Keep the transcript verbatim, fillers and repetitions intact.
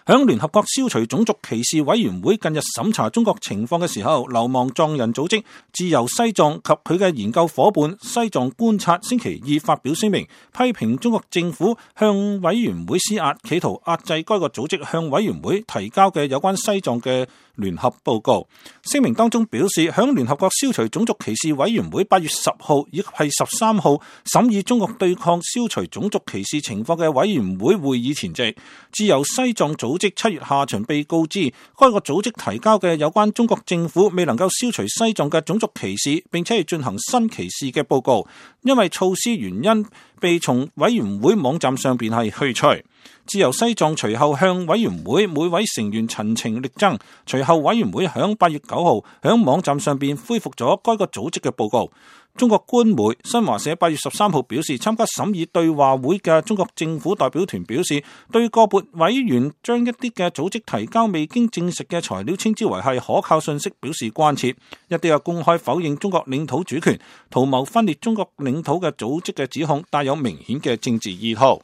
響聯合國消除種族歧視委員會近日審查中國情況嘅時候，流亡藏人組織自由西藏及佢嘅研究伙伴西藏觀察星期二發表聲明，批評中國政府向委員會施壓，企圖壓制該個組織向委員會提交嘅有關西藏嘅聯合報告。聲明當中表示，響聯合國消除種族歧視委員會八月十號以及係十三號審議中國對抗消除種族歧視情況嘅委員會會議前夕，自由西藏組織七月下旬被告知，該個組織提交嘅有關中國政府未能夠消除西藏嘅種族歧視，並且係進行新歧視嘅報告，因為措施原因被從委員會網站上邊係去除。自由西藏隨後向委員會每位成員陳情力爭，隨後委員會響八月九號響網站上邊恢復咗該個組織嘅報告。中國官媒新華社八月十三號表示，參加審議對話會嘅中國政府代表團表示，對個別委員將一啲嘅組織提交未經證實嘅材料稱之為係可靠信息表示關切。一啲有公開否認中國領土主權、圖謀分裂中國領土嘅組織嘅指控帶有明顯嘅政治意圖。